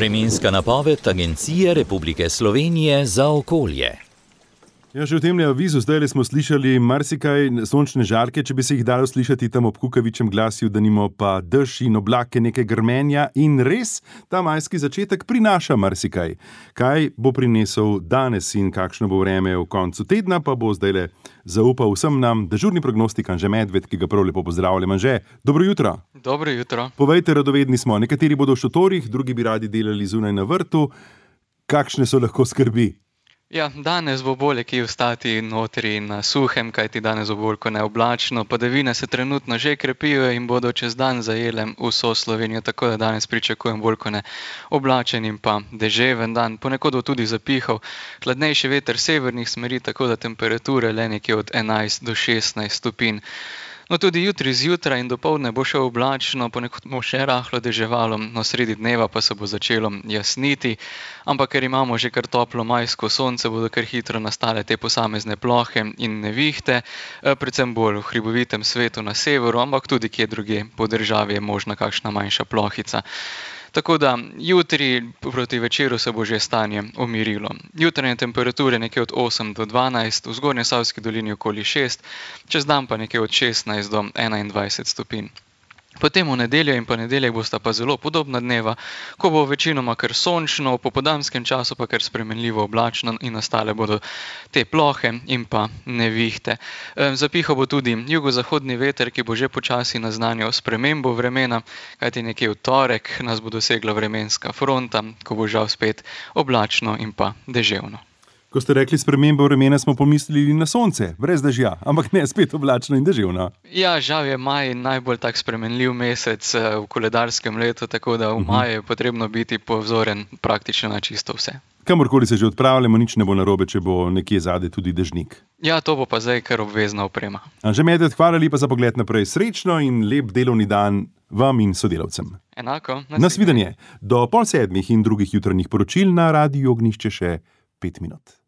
Vremenska napoved Agencije Republike Slovenije za okolje. Ja, že v tem avizu zdaj smo slišali marsikaj sončne žarke, če bi se jih dalo slišati tam ob kukavičem glasju, da nimo pa dež in oblake, nekaj grmenja in res ta majski začetek prinaša marsikaj. Kaj bo prinesel danes in kakšno bo vreme v koncu tedna, pa bo zdajle zaupal vsem nam dežurni prognostik Anže Medved, ki ga prav lepo pozdravljam. Anže, dobro jutro. Dobro jutro. Povejte, radovedni smo, nekateri bodo v šotorih, drugi bi radi delali zunaj na vrtu. Kakšne so lahko skrbi? Ja, danes bo bolje kje ostati notri na suhem, kajti danes bo bolj kot neoblačno. Padavine se trenutno že krepijo in bodo čez dan zajele vso Slovenijo, tako da danes pričakujem bolj kot neoblačen in pa deževen dan. Ponekod bo tudi zapihal hladnejši veter severnih smeri, tako da temperature le nekje od 11 do 16 stopinj. No, tudi jutri zjutraj in dopoldne bo še oblačno, ponekod bo še rahlo deževalo, no sredi dneva pa se bo začelo jasniti, ampak ker imamo že kar toplo majsko sonce, bodo kar hitro nastale te posamezne plohe in nevihte, predvsem bolj v hribovitem svetu na severu, ampak tudi kje drugje po državi je možna kakšna manjša plohica. Tako da jutri proti večeru se bo že stanje umirilo. Jutranje temperature nekje od 8 do 12, v Zgornjesavski dolini okoli 6, čez dan pa nekje od 16 do 21 stopinj. Potem v nedeljo in ponedeljek bosta pa zelo podobna dneva, ko bo večinoma kar sončno, v popoldanskem času pa kar spremenljivo oblačno in nastale bodo te plohe in pa nevihte. Zapihal bo tudi jugozahodni veter, ki bo že počasi naznanjal spremembo vremena, kajti nekje v torek nas bo dosegla vremenska fronta, ko bo žal spet oblačno in pa deževno. Ko ste rekli spremembo vremena, smo pomislili na sonce, brez dežja, ampak ne, spet oblačno in deževno. Ja, žal je maj najbolj tak spremenljiv mesec v koledarskem letu, tako da v maju je potrebno biti pozoren praktično na čisto vse. Kamorkoli se že odpravljamo, nič ne bo narobe, če bo nekje zadaj tudi dežnik. Ja, to bo pa zdaj kar obvezna oprema. Anže Medved, hvala lepa za pogled naprej. Srečno in lep delovni dan vam in sodelavcem. Enako. Nasvidenje. Do 6:30 in drugih jutranjih poročil na Radiu Ognjišče še 5 minut.